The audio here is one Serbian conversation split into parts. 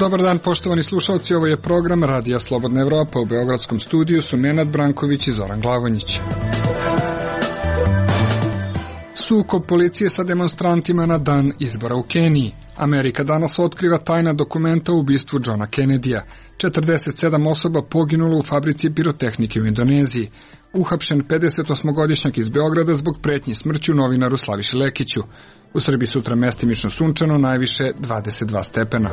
Dobar dan, poštovani slušalci, ovo je program Radija Slobodna Evropa. U beogradskom studiju su Nenad Branković i Zoran Glavonjić. Sukob policije sa demonstrantima na dan izbora u Keniji. Amerika danas otkriva tajna dokumenta o ubistvu Johna Kennedyja. 47 osoba poginulo u fabrici pirotehnike u Indoneziji. Uhapšen 58-godišnjak iz Beograda zbog pretnji smrću novinaru Slaviši Lekiću. U Srbiji sutra mestimično sunčano, najviše 22 stepena.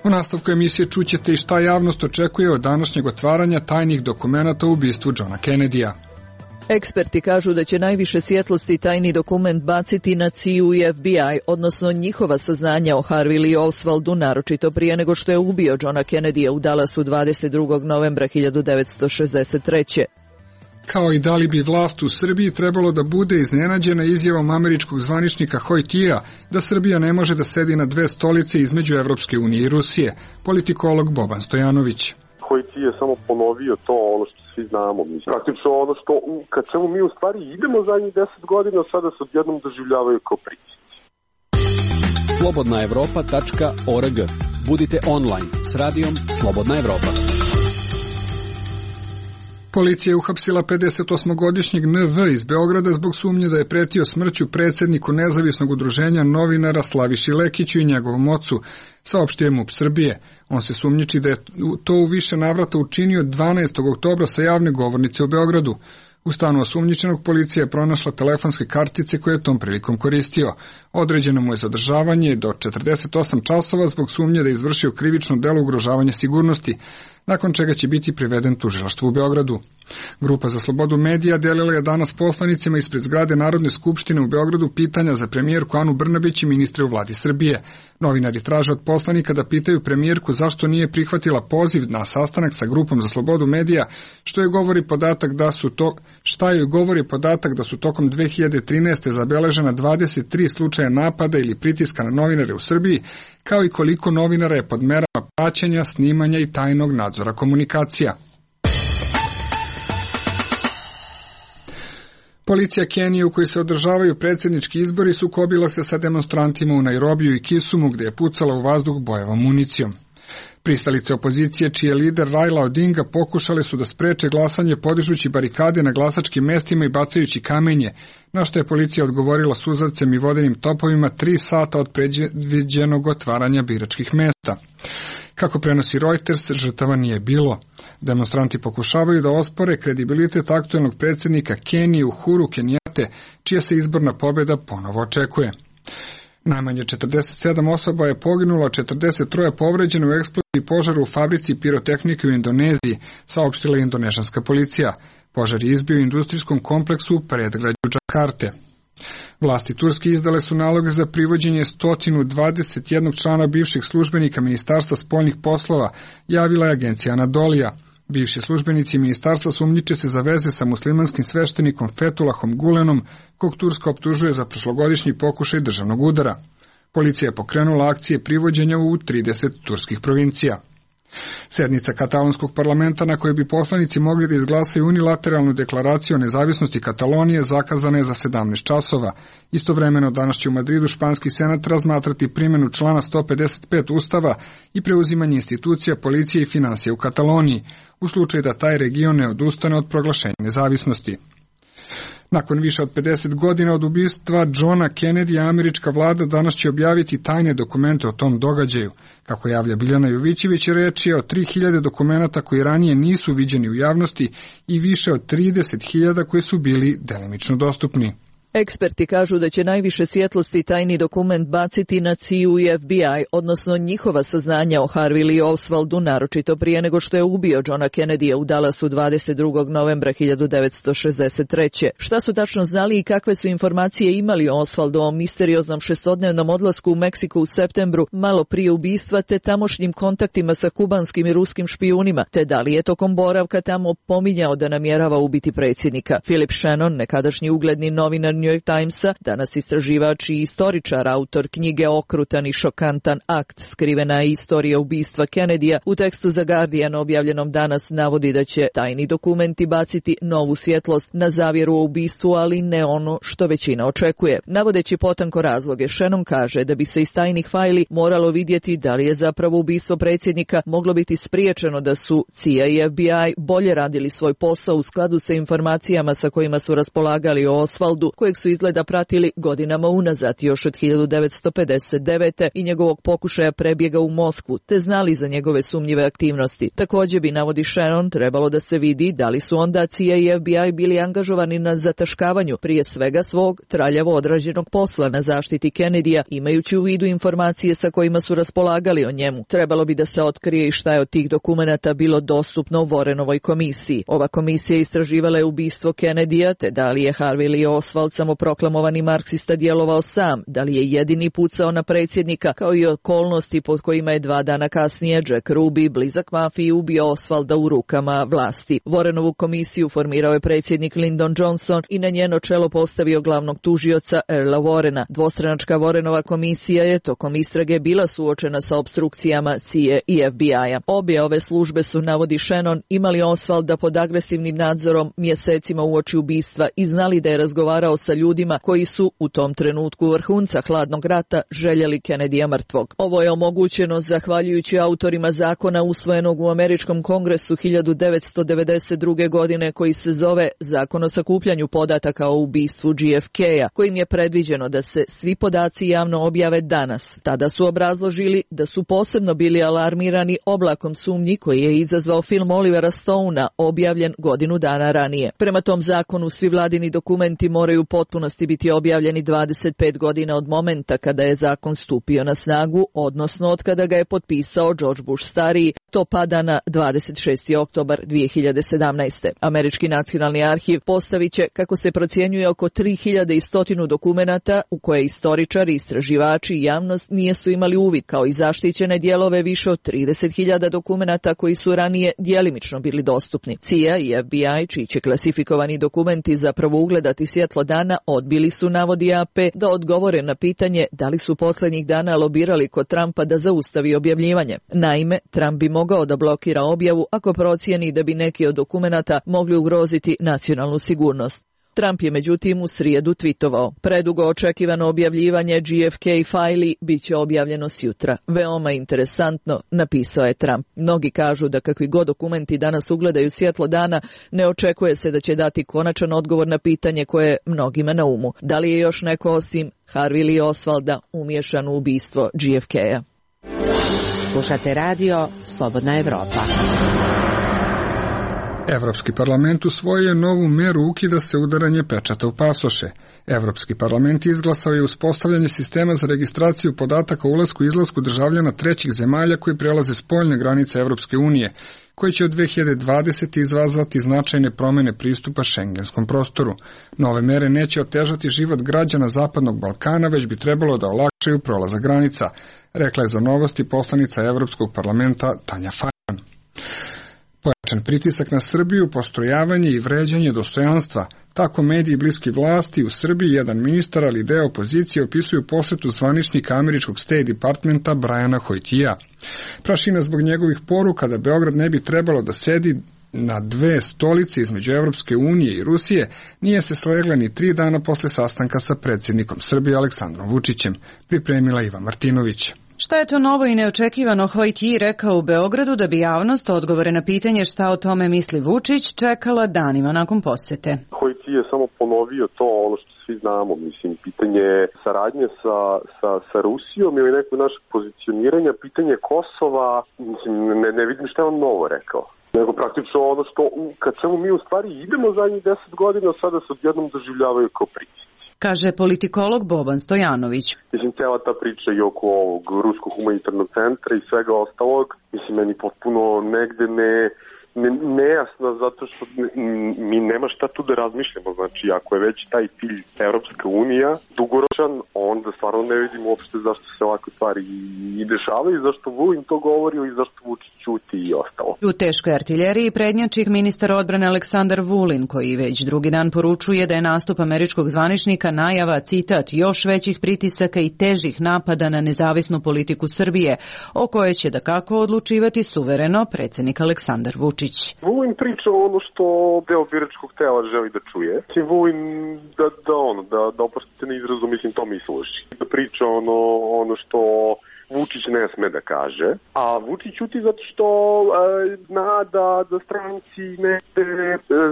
U nastavku emisije čućete i šta javnost očekuje od današnjeg otvaranja tajnih dokumenata o ubistvu Johna Kennedyja. Eksperti kažu da će najviše svjetlosti tajni dokument baciti na CIA i FBI, odnosno njihova saznanja o Harvey Lee Oswaldu, naročito prije nego što je ubio Johna Kennedyja u Dallasu 22. novembra 1963. Kao i da li bi vlast u Srbiji trebalo da bude iznenađena izjavom američkog zvaničnika Hojtija da Srbija ne može da sedi na dve stolice između Evropske unije i Rusije, politikolog Boban Stojanović. Hojti je samo ponovio to ono što svi znamo. Praktično ono što kad čemu mi u stvari idemo zadnjih 10 godina, sada se odjednom doživljavaju kao pritisci. slobodnaevropa.org. Budite online s radijom Slobodna Evropa. Policija je uhapsila 58-godišnjeg NV iz Beograda zbog sumnje da je pretio smrću predsjedniku nezavisnog udruženja novinara Slaviši Lekiću i njegovom ocu, saopštio je MUP Srbije. On se sumnjiči da je to u više navrata učinio 12. oktobra sa javne govornice u Beogradu. U stanu osumnjičenog policija je pronašla telefonske kartice koje je tom prilikom koristio. Određeno mu je zadržavanje do 48 časova zbog sumnje da je izvršio krivično delo ugrožavanja sigurnosti, nakon čega će biti priveden tužilaštvu u Beogradu. Grupa za slobodu medija delila je danas poslanicima ispred zgrade Narodne skupštine u Beogradu pitanja za premijerku Anu Brnabić i ministre u vladi Srbije. Novinari traže od poslanika da pitaju premijerku zašto nije prihvatila poziv na sastanak sa grupom za slobodu medija, šta joj govori podatak da su tokom 2013. zabeležena 23 slučaja napada ili pritiska na novinare u Srbiji, kao i koliko novinara je pod merama praćenja, snimanja i tajnog nadzora komunikacija. Policija Kenije u kojoj se održavaju predsjednički izbori sukobila se sa demonstrantima u Nairobiju i Kisumu gdje je pucala u vazduh bojevom municijom. Pristalice opozicije, čiji je lider Raila Odinga, pokušale su da spreče glasanje podižući barikade na glasačkim mestima i bacajući kamenje, na što je policija odgovorila suzavcem i vodenim topovima 3 sata od predviđenog otvaranja biračkih mesta. Kako prenosi Reuters, žrtava nije bilo. Demonstranti pokušavaju da ospore kredibilitet aktuelnog predsjednika Kenije Uhuru Kenjate, čija se izborna pobjeda ponovo očekuje. Najmanje 47 osoba je poginulo, 43 povređeno u eksploziji požaru u fabrici pirotehnike u Indoneziji, saopštila je indonežanska policija. Požar je izbio u industrijskom kompleksu u predgrađu Džakarte. Vlasti Turske izdale su naloge za privođenje 121 člana bivših službenika Ministarstva spoljnih poslova, javila je agencija Anadolija. Bivši službenici ministarstva sumnjiče se za veze sa muslimanskim sveštenikom Fethullahom Gulenom, kog Turska optužuje za prošlogodišnji pokušaj državnog udara. Policija je pokrenula akcije privođenja u 30 turskih provincija. Sednica katalonskog parlamenta na kojoj bi poslanici mogli da izglasaju unilateralnu deklaraciju o nezavisnosti Katalonije zakazana je za 17 časova. Istovremeno danas će u Madridu španski senat razmatrati primjenu člana 155 Ustava i preuzimanje institucija, policije i finansije u Kataloniji, u slučaju da taj region ne odustane od proglašenja nezavisnosti. Nakon više od 50 godina od ubistva Johna Kennedyja, američka vlada danas će objaviti tajne dokumente o tom događaju. Kako javlja Biljana Jovićević, reč je o 3000 dokumenata koji ranije nisu viđeni u javnosti i više od 30.000 koji su bili delimično dostupni. Eksperti kažu da će najviše svjetlosti tajni dokument baciti na CIA i FBI, odnosno njihova saznanja o Harvey Lee Oswaldu, naročito prije nego što je ubio Johna Kennedyja u Dallasu 22. novembra 1963. Šta su tačno znali i kakve su informacije imali o Oswaldovom misterioznom šestodnevnom odlasku u Meksiku u septembru, malo prije ubistva, te tamošnjim kontaktima sa kubanskim i ruskim špijunima, te da li je tokom boravka tamo pominjao da namjerava ubiti predsjednika. Philip Shannon, nekadašnji ugledni novinar New York Timesa, danas istraživač i istoričar, autor knjige Okrutan i šokantan akt, skrivena je istorija ubistva Kennedyja, u tekstu za Guardian objavljenom danas navodi da će tajni dokumenti baciti novu svjetlost na zavjeru o ubistvu, ali ne ono što većina očekuje. Navodeći potanko razloge, Shannon kaže da bi se iz tajnih fajli moralo vidjeti da li je zapravo ubistvo predsjednika moglo biti spriječeno da su CIA i FBI bolje radili svoj posao u skladu sa informacijama sa kojima su raspolagali o Osvaldu, kojeg su izgleda pratili godinama unazad, još od 1959. i njegovog pokušaja prebjega u Moskvu, te znali za njegove sumnjive aktivnosti. Također bi, navodi Shannon, trebalo da se vidi da li su onda CIA i FBI bili angažovani na zataškavanju prije svega svog traljavo odrađenog posla na zaštiti Kennedyja, imajući u vidu informacije sa kojima su raspolagali o njemu. Trebalo bi da se otkrije i šta je od tih dokumenata bilo dostupno Warrenovoj komisiji. Ova komisija istraživala je ubistvo Kennedyja, te da li je Harvey Lee Oswald, samoproklamovani marksista, djelovao sam, da li je jedini pucao na predsjednika, kao i okolnosti pod kojima je 2 dana kasnije Jack Ruby, blizak mafiji, ubio Osvalda u rukama vlasti. Warrenovu komisiju formirao je predsjednik Lyndon Johnson i na njeno čelo postavio glavnog tužioca Earla Warrena. Dvostranačka Warrenova komisija je tokom istrage bila suočena sa opstrukcijama CIA i FBI-a. Obje ove službe su, navodi Shannon, imali Osvalda pod agresivnim nadzorom mjesecima uoči ubistva i znali da je razgovarao sa ljudima koji su u tom trenutku vrhunca hladnog rata željeli Kennedyja mrtvog. Ovo je omogućeno zahvaljujući autorima zakona usvojenog u Američkom kongresu 1992. godine, koji se zove Zakon o sakupljanju podataka o ubistvu JFK-a, kojim je predviđeno da se svi podaci javno objave danas. Tada su obrazložili da su posebno bili alarmirani oblakom sumnji koji je izazvao film Olivera Stonea, objavljen godinu dana ranije. Prema tom zakonu svi vladini dokumenti moraju u potpunosti biti objavljeni 25 godina od momenta kada je zakon stupio na snagu, odnosno od kada ga je potpisao George Bush stariji. To pada na 26. oktobar 2017. Američki nacionalni arhiv postavit će, kako se procjenjuje, oko 3100 dokumenata u koje istoričari, istraživači i javnost nijesu imali uvid, kao i zaštićene dijelove više od 30.000 dokumenata koji su ranije djelimično bili dostupni. CIA i FBI, čiji će klasifikovani dokumenti zapravo ugledati svjetlo dana, odbili su, navodi AP, da odgovore na pitanje da li su posljednjih dana lobirali kod Trumpa da zaustavi objavljivanje. Naime, Trump bi mogao da blokira objavu ako procijeni da bi neki od dokumenata mogli ugroziti nacionalnu sigurnost. Trump je međutim u srijedu tvitovao: predugo očekivano objavljivanje JFK fajli bit će objavljeno sjutra. Veoma interesantno, napisao je Trump. Mnogi kažu da kakvi god dokumenti danas ugledaju svjetlo dana, ne očekuje se da će dati konačan odgovor na pitanje koje je mnogima na umu. Da li je još neko osim Harvey Lee Osvalda umiješan u ubistvo JFK-a? Slušate radio Slobodna Evropa. Evropski parlament usvojio je novu meru, ukida se udaranje pečata u pasoše. Evropski parlament izglasao je uspostavljanje sistema za registraciju podataka o ulasku i izlasku državljana trećih zemalja koji prelaze spoljne granice Evropske unije, koji će od 2020. izazvati značajne promjene pristupa šengenskom prostoru. Nove mere neće otežati život građana Zapadnog Balkana, već bi trebalo da olakšaju prolazak granica, rekla je za Novosti poslanica Evropskog parlamenta Tanja Fajon. Pojačan pritisak na Srbiju, postrojavanje i vređanje dostojanstva. Tako mediji bliski vlasti u Srbiji, jedan ministar, ali deo opozicije opisuju posjetu zvaničnika američkog State Departmenta Briana Hoytija. Prašina zbog njegovih poruka da Beograd ne bi trebalo da sedi na 2 stolice između Evropske unije i Rusije nije se slegla ni 3 dana posle sastanka sa predsjednikom Srbije Aleksandrom Vučićem, pripremila Iva Martinović. Šta je to novo i neočekivano Hoytiji rekao u Beogradu da bi javnost odgovore na pitanje šta o tome misli Vučić čekala danima nakon posjete? Hoytiji je samo ponovio to ono što svi znamo, mislim, pitanje saradnje sa Rusijom ili nekog našeg pozicioniranja, pitanje Kosova, mislim, ne vidim šta je on novo rekao. Nego praktično ono što, kad čemu mi u stvari idemo zadnjih 10 godina, sada se odjednom doživljavaju kao pritisci. Kaže politikolog Boban Stojanović. Mislim, cela ta priča i oko ovog Ruskog humanitarnog centra i svega ostalog, mislim, meni potpuno negde nejasna zato što mi nema šta tu da razmišljamo. Znači, ako je već taj cilj Evropska unija dugoročan, onda stvarno ne vidim uopšte zašto se ovakve stvari i dešavaju, zašto Vulin to govori ili zašto Vučić ćuti i ostalo. U teškoj artiljeriji prednjači ministar odbrane Aleksandar Vulin, koji već drugi dan poručuje da je nastup američkog zvaničnika najava, citat, još većih pritisaka i težih napada na nezavisnu politiku Srbije, o kojoj će dakako odlučivati suvereno predsjednik Aleksandar Vučić. Vulin priča ono što deo biračkog tela želi da čuje. Vulin da oprostite na izrazu, mislim to misloši. Da priča ono što Vučić ne sme da kaže, a Vučić ćuti zato što zna da stranci negde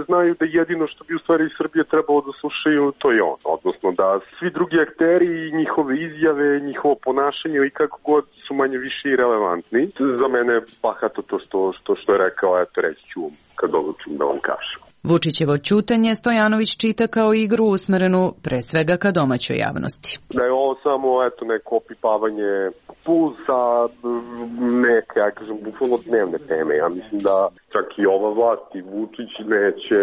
znaju da jedino što bi u stvari Srbije trebalo da slušaju, to je on. Odnosno da svi drugi akteri, njihove izjave, njihovo ponašanje i kako god su manje više i relevantni. Za mene bahato to što je rekao, eto reći ću kad odlučim da vam kažem. Vučićevo ćutanje Stojanović čita kao igru usmerenu pre svega ka domaćoj javnosti. Da je ovo samo neko opipavanje pulsa neke, ja kažem, bukvalno dnevne teme. Ja mislim da čak i ova vlast i Vučić neće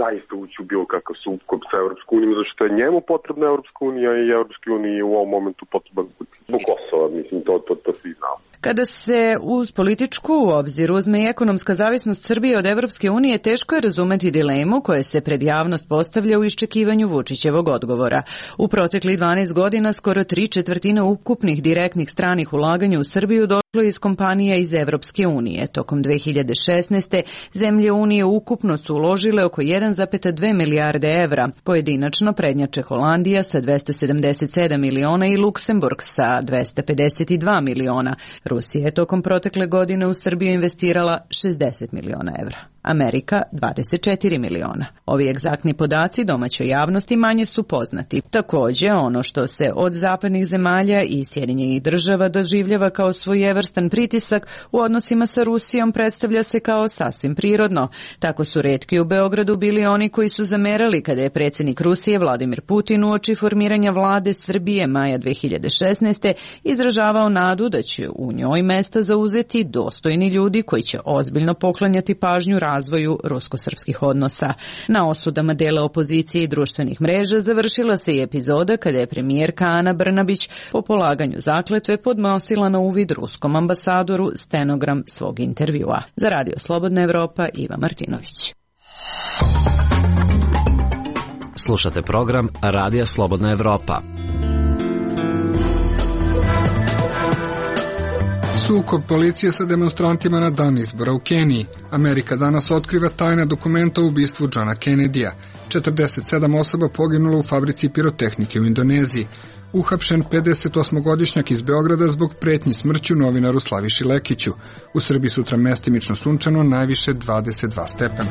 zaista ući u bilo kakav sukob sa Evropskom unijom, zašto je njemu potrebna Evropska unija i Evropske unije u ovom momentu potreban zbog Kosova, mislim, to svi znamo. Kada se uz političku u obzir uzme i ekonomska zavisnost Srbije od Evropske unije, teško je razumeti dilemu koja se pred javnost postavlja u iščekivanju Vučićevog odgovora. U proteklih 12 godina skoro 3/4 ukupnih direktnih stranih ulaganja u Srbiju došlo je iz kompanija iz Evropske unije. Tokom 2016. zemlje Unije ukupno su uložile oko 1,2 milijarde evra. Pojedinačno prednjače Holandija sa 277 miliona i Luksemburg sa 252 miliona. Rusija je tokom protekle godine u Srbiju investirala 60 miliona evra. Amerika 24 miliona. Ovi egzaktni podaci domaćoj javnosti manje su poznati. Također, ono što se od zapadnih zemalja i Sjedinjenih država doživljava kao svojevrstan pritisak u odnosima sa Rusijom predstavlja se kao sasvim prirodno. Tako su retki u Beogradu bili oni koji su zamerali kada je predsjednik Rusije Vladimir Putin uoči formiranja vlade Srbije maja 2016. izražavao nadu da će u njoj mesta zauzeti dostojni ljudi koji će ozbiljno poklanjati pažnju razvoju rusko-srpskih odnosa. Na osudama dela opozicije i društvenih mreža završila se i epizoda kada je premijerka Ana Brnabić po polaganju zakletve podnosila na uvid ruskom ambasadoru stenogram svog intervjua. Za Radio Slobodna Evropa, Iva Martinović. Slušate program Radija Slobodna Evropa. Sukob policije sa demonstrantima na dan izbora u Keniji. Amerika danas otkriva tajna dokumenta o ubistvu Johna Kennedya. 47 osoba poginulo u fabrici pirotehnike u Indoneziji. Uhapšen 58-godišnjak iz Beograda zbog pretnji smrću novinaru Slaviši Lekiću. U Srbiji sutra mestimično sunčano, najviše 22 stepena.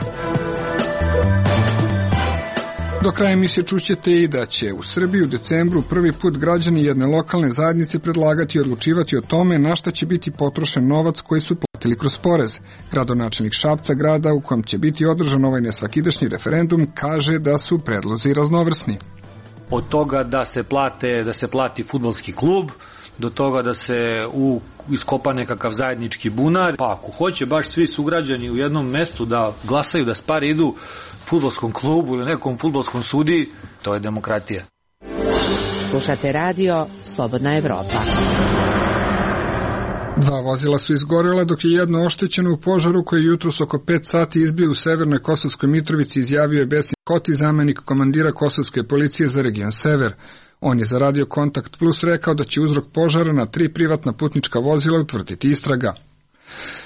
Do kraja emisije čućete i da će u Srbiji u decembru prvi put građani jedne lokalne zajednice predlagati i odlučivati o tome na šta će biti potrošen novac koji su platili kroz porez. Gradonačelnik Šapca, grada u kojem će biti održan ovaj nesvakidašnji referendum, kaže da su predlozi raznovrsni. Od toga da se plati fudbalski klub, do toga da se iskopa nekakav zajednički bunar, pa ako hoće baš svi sugrađani u jednom mestu da glasaju da pare idu fudbalskom klubu ili nekom fudbalskom sudiji, to je demokratija. Slušate radio Slobodna Evropa. 2 vozila su izgorela dok je jedno oštećeno u požaru koji je jutros oko 5 sati izbio u severnoj Kosovskoj Mitrovici, izjavio je Besim Koti, zamenik komandira Kosovske policije za region Sever. On je za Radio Kontakt Plus rekao da će uzrok požara na 3 privatna putnička vozila utvrditi istraga.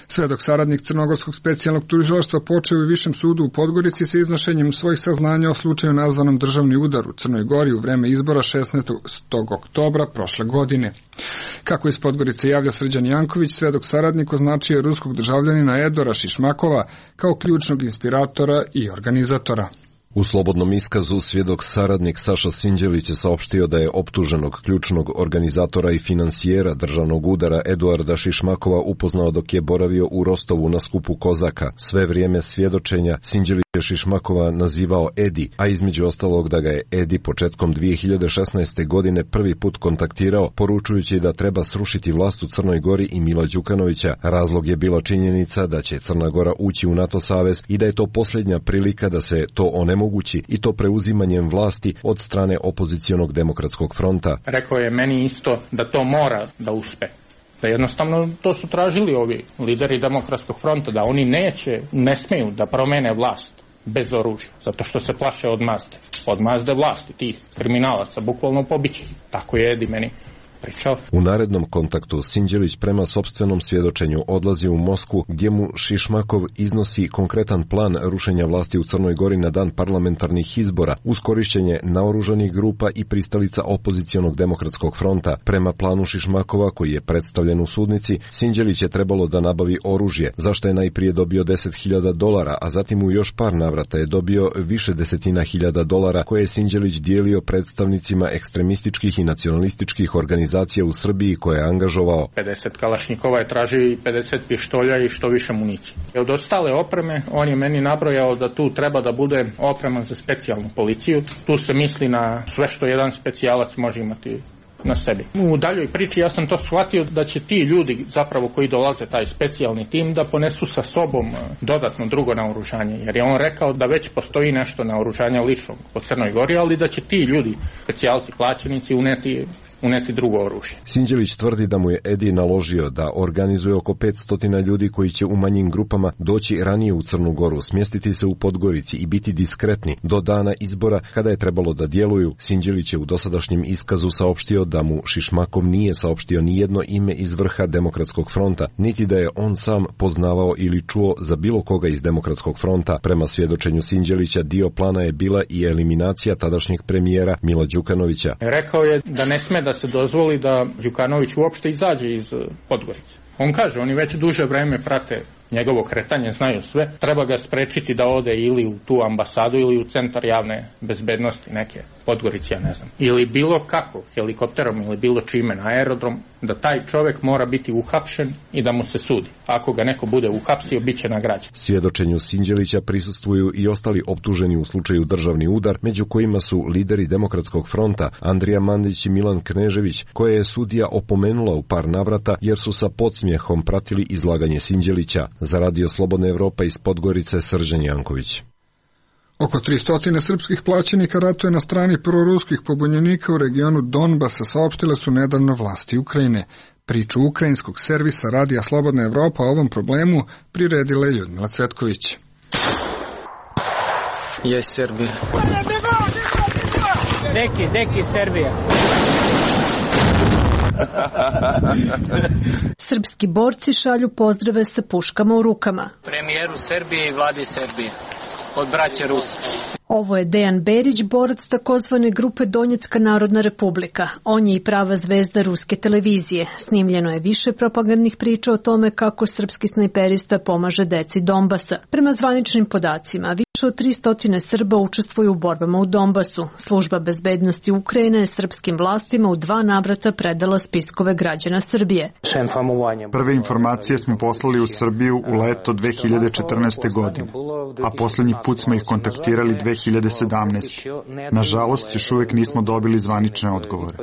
Svedok saradnik Crnogorskog specijalnog tužilaštva počeo u Višem sudu u Podgorici sa iznošenjem svojih saznanja o slučaju nazvanom državni udar u Crnoj Gori u vreme izbora 16. oktobra prošle godine. Kako iz Podgorice javlja Srđan Janković, svedok saradnik označio je ruskog državljanina Edora Šišmakova kao ključnog inspiratora i organizatora. U slobodnom iskazu svjedok saradnik Saša Sinđelić je saopštio da je optuženog ključnog organizatora i finansijera državnog udara Eduarda Šišmakova upoznao dok je boravio u Rostovu na skupu Kozaka. Sve vrijeme svjedočenja Sinđelić je Šišmakova nazivao Edi, a između ostalog da ga je Edi početkom 2016. godine prvi put kontaktirao, poručujući da treba srušiti vlast u Crnoj Gori i Mila Đukanovića. Razlog je bila činjenica da će Crna Gora ući u NATO savez i da je to posljednja prilika da se to onemogući, i to preuzimanjem vlasti od strane opozicionog demokratskog fronta. Rekao je meni isto da to mora da uspe. Da jednostavno to su tražili ovi lideri demokratskog fronta, da oni ne smiju da promene vlast bez oružja, zato što se plaše od Mazde vlasti, tih kriminalaca, bukvalno pobići. Tako je Edi meni pričao. U narednom kontaktu Sinđelić prema sopstvenom svjedočenju odlazi u Moskvu, gdje mu Šišmakov iznosi konkretan plan rušenja vlasti u Crnoj Gori na dan parlamentarnih izbora uz korišćenje naoružanih grupa i pristalica opozicionog demokratskog fronta. Prema planu Šišmakova, koji je predstavljen u sudnici, Sinđelić je trebalo da nabavi oružje, za što je najprije dobio $10.000, a zatim u još par navrata je dobio više desetina hiljada dolara koje je Sinđelić dijelio predstavnicima ekstremističkih i nacionalističkih organizacija u Srbiji koje je angažovao. 50 kalašnjikova je tražio i 50 pištolja i što više municije. Od ostale opreme, on je meni nabrojao da tu treba da bude oprema za specijalnu policiju. Tu se misli na sve što jedan specijalac može imati na sebi. U daljoj priči ja sam to shvatio da će ti ljudi zapravo koji dolaze, taj specijalni tim, da ponesu sa sobom dodatno drugo naoružanje, jer je on rekao da već postoji nešto naoružanja ličnog po Crnoj Gori, ali da će ti ljudi, specijalci, plaćenici, uneti drugo oružje. Sinđelić tvrdi da mu je Edi naložio da organizuje oko 500 ljudi koji će u manjim grupama doći ranije u Crnu Goru, smjestiti se u Podgorici i biti diskretni do dana izbora kada je trebalo da djeluju. Sinđelić je u dosadašnjem iskazu saopštio da mu Šišmakov nije saopštio ni jedno ime iz vrha Demokratskog fronta, niti da je on sam poznavao ili čuo za bilo koga iz Demokratskog fronta. Prema svjedočenju Sinđelića, dio plana je bila i eliminacija tadašnjeg premijera Mila Đukanovića. Rekao je da ne sme da se dozvoli da Đukanović uopšte izađe iz Podgorice. On kaže, oni već duže vreme prate njegovo kretanje, znaju sve, treba ga sprečiti da ode ili u tu ambasadu ili u centar javne bezbednosti neke Podgorice, ja ne znam. Ili bilo kako, helikopterom ili bilo čime na aerodrom, da taj čovjek mora biti uhapšen i da mu se sudi. Ako ga neko bude uhapsio, bit će nagrađen. Svjedočenju Sinđelića prisustvuju i ostali optuženi u slučaju državni udar, među kojima su lideri Demokratskog fronta Andrija Mandić i Milan Knežević, koje je sudija opomenula u par navrata jer su sa podsmjehom pratili izlaganje Sinđelića. Za Radio Slobodna Evropa iz Podgorice, Srđan Janković. Oko 300 srpskih plaćenika ratuje na strani proruskih pobunjenika u regionu Donbasa, saopštile su nedavno vlasti Ukrajine. Priču ukrajinskog servisa Radija Slobodna Evropa o ovom problemu priredila je Ljudmila Cvetković. Je Srbija. Deki, Srbija. Srpski borci šalju pozdrave sa puškama u rukama. Premijeru Srbije i vladi Srbije. Od braće Rusa. Ovo je Dejan Berić, borac takozvane grupe Donjecka narodna republika. On je i prava zvezda ruske televizije. Snimljeno je više propagandnih priča o tome kako srpski snajperista pomaže deci Donbasa. Prema zvaničnim podacima, više od 300 Srba učestvuju u borbama u Donbasu. Služba bezbednosti Ukrajine je srpskim vlastima u 2 navrata predala spiskove građana Srbije. Prve informacije smo poslali u Srbiju u leto 2014. godine, a posljednji put smo ih kontaktirali 2017. Nažalost, još uvijek nismo dobili zvanične odgovore.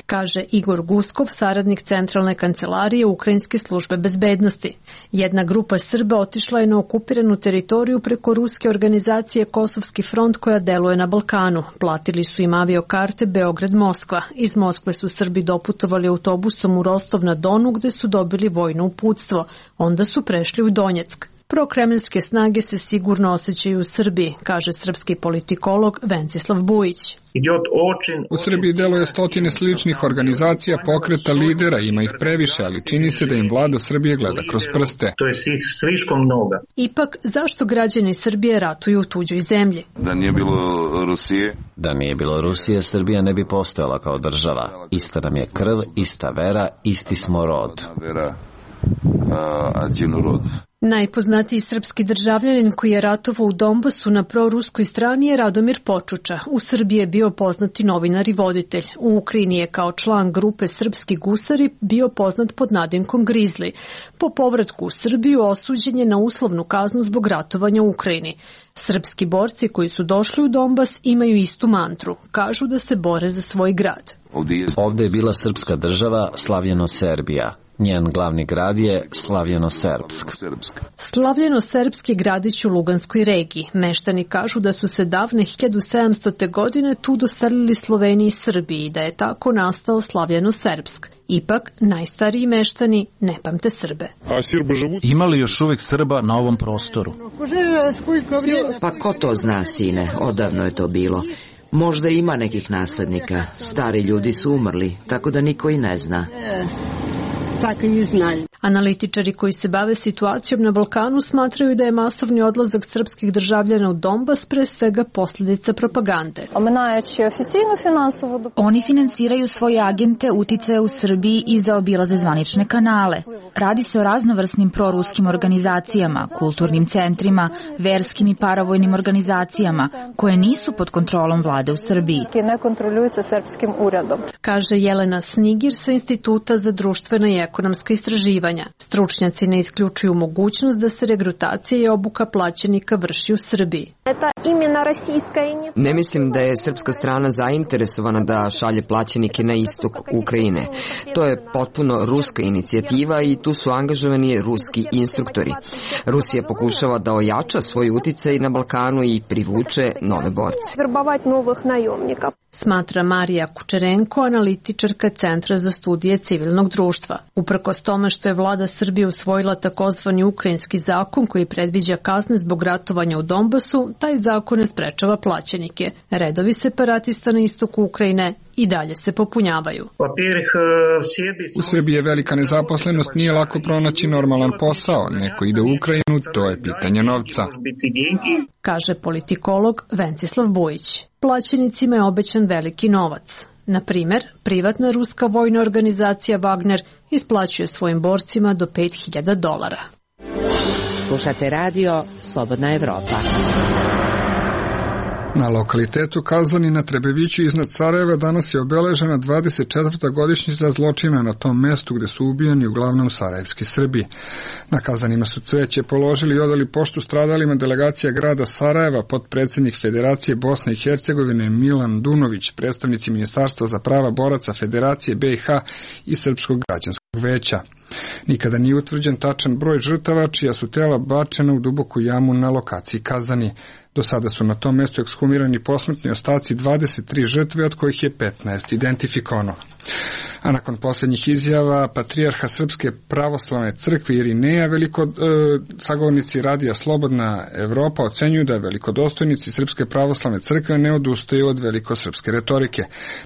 Kaže Igor Guskov, saradnik Centralne kancelarije Ukrajinske službe bezbednosti. Jedna grupa Srba otišla je na okupiranu teritoriju preko ruske organizacije Kosovski front koja deluje na Balkanu. Platili su im aviokarte Beograd-Moskva. Iz Moskve su Srbi doputovali autobusom u Rostov na Donu gde su dobili vojno uputstvo. Onda su prešli u Donjeck. Prokremljanske snage se sigurno osjećaju u Srbiji, kaže srpski politikolog Vencislav Bujić. U Srbiji deluje 100 sličnih organizacija, pokreta, lidera, ima ih previše, ali čini se da im vlada Srbije gleda kroz prste. To je slično mnogo. Ipak, zašto građani Srbije ratuju u tuđoj zemlji? Da nije bilo Rusije? Da nije bilo Rusije, Srbija ne bi postojala kao država. Ista nam je krv, ista vera, isti smo rod. Najpoznatiji srpski državljanin koji je ratovao u Donbasu na proruskoj strani je Radomir Počuča. U Srbiji je bio poznati novinar i voditelj. U Ukrajini je kao član grupe Srpski gusari bio poznat pod nadimkom Grizli. Po povratku u Srbiju osuđen je na uslovnu kaznu zbog ratovanja u Ukrajini. Srpski borci koji su došli u Donbas imaju istu mantru. Kažu da se bore za svoj grad. Ovde je bila srpska država, slavljeno Serbija. Njen glavni grad je Slavljeno-Serbsk. Slavljeno-Serbski gradić u Luganskoj regiji. Meštani kažu da su se davne 1700. godine tu doselili Sloveniji i Srbiji i da je tako nastao Slavljeno-Serbsk. Ipak, najstariji meštani ne pamte Srbe. Ima li još uvek Srba na ovom prostoru? Pa ko to zna, sine? Odavno je to bilo. Možda ima nekih naslednika. Stari ljudi su umrli, tako da niko i ne zna. Analitičari koji se bave situacijom na Balkanu smatraju da je masovni odlazak srpskih državljana u Donbas pre svega posljedica propagande. Oni finansiraju svoje agente, uticaje u Srbiji i zaobilaze zvanične kanale. Radi se o raznovrsnim proruskim organizacijama, kulturnim centrima, verskim i paravojnim organizacijama koje nisu pod kontrolom vlade u Srbiji. Kaže Jelena Snigir sa Instituta za društvena i ekonomska istraživanja. Stručnjaci ne isključuju mogućnost da se regrutacija i obuka plaćenika vrši u Srbiji. Ne mislim da je srpska strana zainteresovana da šalje plaćenike na istok Ukrajine. To je potpuno ruska inicijativa i tu su angažovani ruski instruktori. Rusija pokušava da ojača svoj uticaj na Balkanu i privuče nove borce. Smatra Marija Kučerenko, analitičarka Centra za studije civilnog društva. Uprkos tome što je vlada Srbije usvojila takozvani ukrajinski zakon koji predviđa kazne zbog ratovanja u Donbasu, taj zakon ne sprečava plaćenike. Redovi separatista na istoku Ukrajine i dalje se popunjavaju. U Srbiji je velika nezaposlenost, nije lako pronaći normalan posao. Neko ide u Ukrajinu, to je pitanje novca. Kaže politikolog Vencislav Bujić. Plaćenicima je obećan veliki novac. Na primer, privatna ruska vojna organizacija Wagner isplaćuje svojim borcima do $5.000. Slušate radio Slobodna Evropa. Na lokalitetu Kazani na Trebeviću iznad Sarajeva danas je obeležena 24. godišnjica zločina na tom mestu gde su ubijani uglavnom sarajevski Srbi. Na Kazanima su cveće položili i odali poštu stradalima delegacija grada Sarajeva, potpredsjednik Federacije Bosne i Hercegovine Milan Dunović, predstavnici Ministarstva za prava boraca Federacije BiH i Srpskog građanskog veća. Nikada nije utvrđen tačan broj žrtava čija su tela bačena u duboku jamu na lokaciji Kazani. Do sada su na tom mestu ekshumirani posmrtni ostaci 23 žrtve, od kojih je 15 identifikovano. A nakon posljednjih izjava patrijarha Srpske pravoslavne crkve Irineja, sagovornici radija Slobodna Evropa ocenjuju da velikodostojnici Srpske pravoslavne crkve ne odustaju od velikosrpske retorike.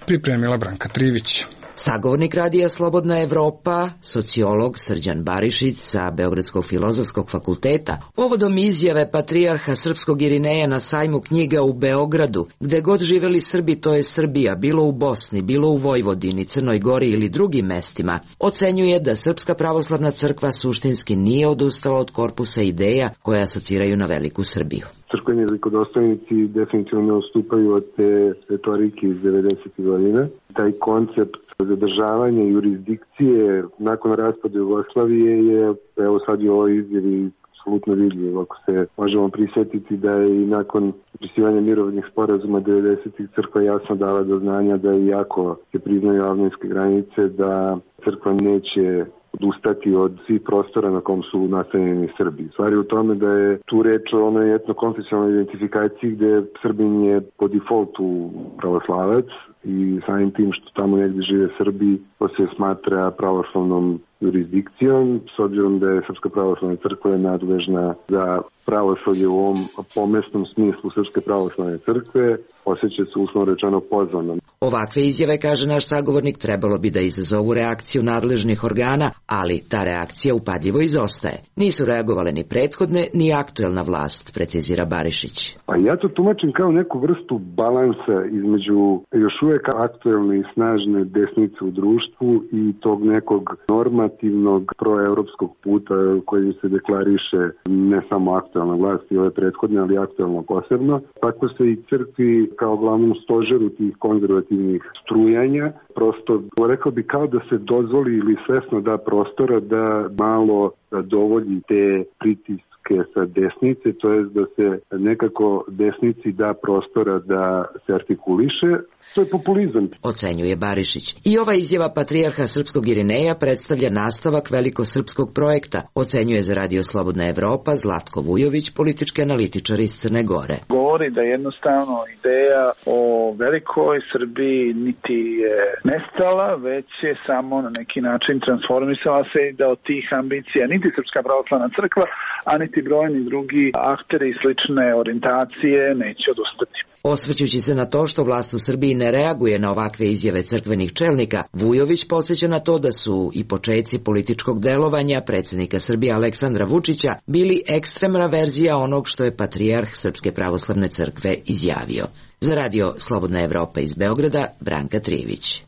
Pripremila Branka Trivić. Sagovornik radija Slobodna Evropa, sociolog Srđan Barišić sa Beogradskog filozofskog fakulteta, povodom izjave patrijarha Srpskog Irineja na sajmu knjiga u Beogradu, gde god živeli Srbi, to je Srbija, bilo u Bosni, bilo u Vojvodini, Crnoj Gori ili drugim mestima, ocenjuje da Srpska pravoslavna crkva suštinski nije odustala od korpusa ideja koje asociraju na veliku Srbiju. Crkveni velikodostojnici definitivno ne odstupaju od te retorike iz 90. godina. Taj koncept zadržavanja jurisdikcije nakon raspada Jugoslavije je, evo sad je ovo izjavi apsolutno vidljivo. Ako se možemo prisjetiti da je i nakon potpisivanja mirovnih sporazuma 90. crkva jasno dala do znanja da iako se priznaju avnojske granice, da crkva neće odustati od svih prostora na kom su nastanjeni Srbi. Stvar je u tome da je tu reč o onoj etnokonfesionalnoj identifikaciji gde Srbin je po defaultu pravoslavac i samim tim što tamo negdje žive Srbi, to se smatra pravoslavnom jurisdikcijom, s obzirom da je Srpska pravoslavna crkva nadležna za pravoslavlje u ovom pomesnom smislu Srpske pravoslavne crkve, osjeća se uslovno rečeno pozvanom. Ovakve izjave, kaže naš sagovornik, trebalo bi da izazovu reakciju nadležnih organa, ali ta reakcija upadljivo izostaje. Nisu reagovale ni prethodne, ni aktuelna vlast, precizira Barišić. Pa ja to tumačim kao neku vrstu balansa između još uvijek aktuelne i snažne desnice u društvu i tog nekog norma afirmativnog proevropskog puta kojim se deklariše ne samo aktualna vlast i ove prethodne, ali aktualno posebno. Tako se i crkvi kao glavnom stožeru tih konzervativnih strujanja prosto, rekao bi, kao da se dozvoli ili svesno da prostora da malo dovolji te pritiske sa desnice, to je da se nekako desnici da prostora da se artikuliše. To je populizam, ocenjuje Barišić. I ova izjava patrijarha srpskog Irineja predstavlja nastavak velikosrpskog projekta, ocenjuje za Radio Slobodna Evropa Zlatko Vujović, politički analitičar iz Crne Gore. Govori da jednostavno ideja o velikoj Srbiji niti je nestala, već je samo na neki način transformisala se i da od tih ambicija niti Srpska pravoslavna crkva, a niti brojni drugi akteri i slične orijentacije neće odustati. Osvrćući se na to što vlast u Srbiji ne reaguje na ovakve izjave crkvenih čelnika, Vujović podsjeća na to da su i početci političkog delovanja predsjednika Srbije Aleksandra Vučića bili ekstremna verzija onog što je patrijarh Srpske pravoslavne crkve izjavio. Za Radio Slobodna Evropa iz Beograda, Branka Trivić.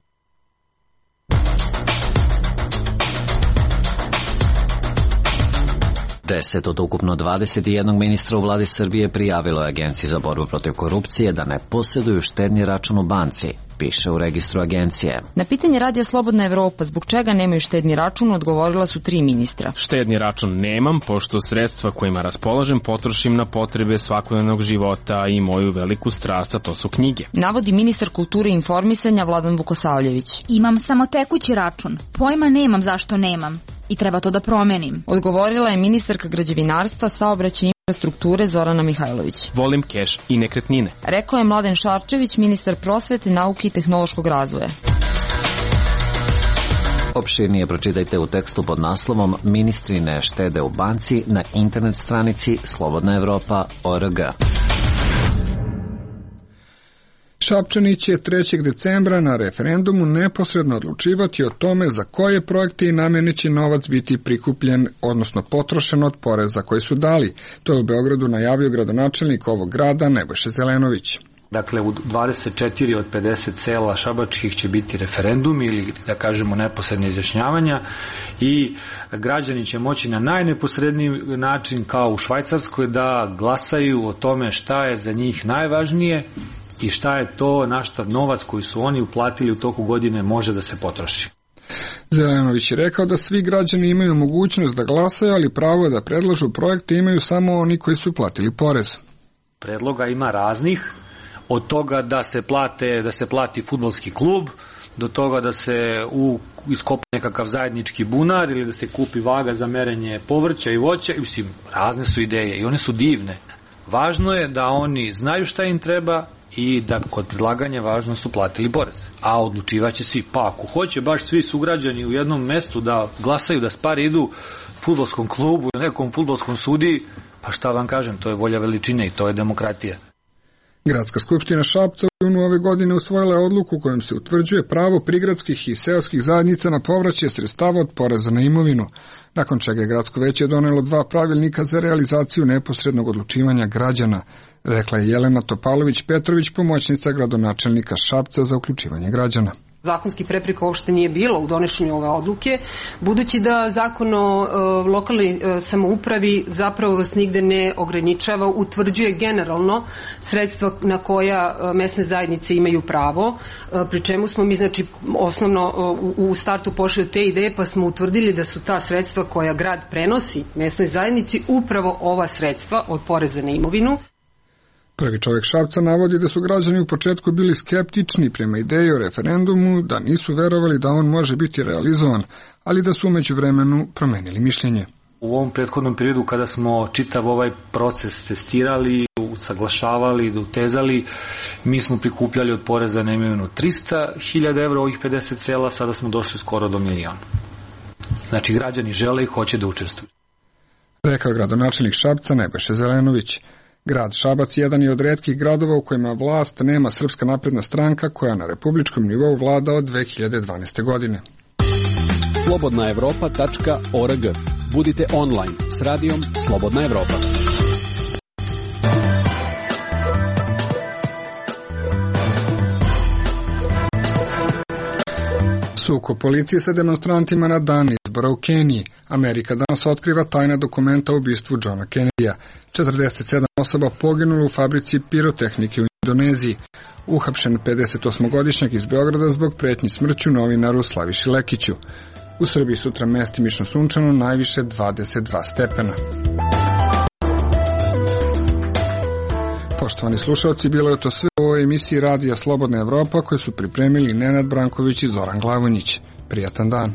10 od ukupno 21 ministra u vladi Srbije prijavilo je Agenciji za borbu protiv korupcije da ne posjeduju štedni račun u banci, piše u registru agencije. Na pitanje Radija Slobodna Evropa zbog čega nemaju štedni račun odgovorila su 3 ministra. Štedni račun nemam, pošto sredstva kojima raspolažem potrošim na potrebe svakodnevnog života i moju veliku strast, a to su knjige. Navodi ministar kulture i informisanja Vladan Vukosavljević. Imam samo tekući račun. Pojma nemam zašto nemam. I treba to da promenim. Odgovorila je ministarka građevinarstva, saobraćaja i infrastrukture Zorana Mihajlović. Volim keš i nekretnine. Rekao je Mladen Šarčević, ministar prosvete, nauke i tehnološkog razvoja. Opširnije pročitajte u tekstu pod naslovom Ministri ne štede u banci na internet stranici slobodnaevropa.org. Šapčani će 3. decembra na referendumu neposredno odlučivati o tome za koje projekte i namene će novac biti prikupljen, odnosno potrošen od poreza koji su dali. To je u Beogradu najavio gradonačelnik ovog grada Nebojša Zelenović. Dakle, u 24 od 50 sela šabačkih će biti referendum ili, da kažemo, neposredne izjašnjavanja i građani će moći na najneposredniji način, kao u Švajcarskoj, da glasaju o tome šta je za njih najvažnije i šta je to, na šta novac koji su oni uplatili u toku godine može da se potroši. Zelenović je rekao da svi građani imaju mogućnost da glasaju, ali pravo da predlažu projekte imaju samo oni koji su platili porez. Predloga ima raznih, od toga da se plati fudbalski klub, do toga da se iskopa nekakav zajednički bunar ili da se kupi vaga za merenje povrća i voća. Mislim, razne su ideje i one su divne. Važno je da oni znaju šta im treba i da kod predlaganja važno su platili porez. A odlučivaće svi. Pa ako hoće baš svi sugrađani u jednom mestu da glasaju, da pare idu fudbalskom klubu, nekom fudbalskom sudiji, pa šta vam kažem, to je volja veličine i to je demokratija. Gradska skupština Šapca u junu ove godine usvojila je odluku kojom se utvrđuje pravo prigradskih i seoskih zajednica na povraćaj sredstava od poreza na imovinu, nakon čega je gradsko veće donelo 2 pravilnika za realizaciju neposrednog odlučivanja građana, rekla je Jelena Topalović-Petrović, pomoćnica gradonačelnika Šapca za uključivanje građana. Zakonski prepreka uopšte nije bilo u donošenju ove odluke, budući da zakon o lokalnoj samoupravi zapravo vas nigde ne ograničava, utvrđuje generalno sredstva na koja mesne zajednice imaju pravo, pri čemu smo mi znači osnovno u startu pošli od te ideje pa smo utvrdili da su ta sredstva koja grad prenosi mesnoj zajednici upravo ova sredstva od poreza na imovinu. Prvi čovjek Šapca navodi da su građani u početku bili skeptični prema ideji o referendumu, da nisu verovali da on može biti realizovan, ali da su umeđu vremenu promenili mišljenje. U ovom prethodnom periodu kada smo čitav ovaj proces testirali, usaglašavali, utezali, mi smo prikupljali od poreza na imovinu 300.000 evra, ovih 50 sela, sada smo došli skoro do 1 milion. Znači građani žele i hoće da učestvuju. Rekao gradonačelnik Šapca Nebojša Zelenović. Grad Šabac jedan je od retkih gradova u kojima vlast nema Srpska napredna stranka koja na republičkom nivou vlada od 2012. godine. Slobodnaevropa.org. Budite online s radijom Slobodna Evropa. Sukob policije sa demonstrantima na dan izbora u Keniji. Amerika danas otkriva tajna dokumenta o ubistvu Johna Kennedya. 47 osoba poginulo u fabrici pirotehnike u Indoneziji. Uhapšen 58-godišnjak iz Beograda zbog pretnji smrću novinaru Slaviši Lekiću. U Srbiji sutra mestimično sunčano, najviše 22 stepena. Poštovani slušalci, bilo je to sve u ovoj emisiji Radija Slobodna Evropa koje su pripremili Nenad Branković i Zoran Glavonjić. Prijatan dan.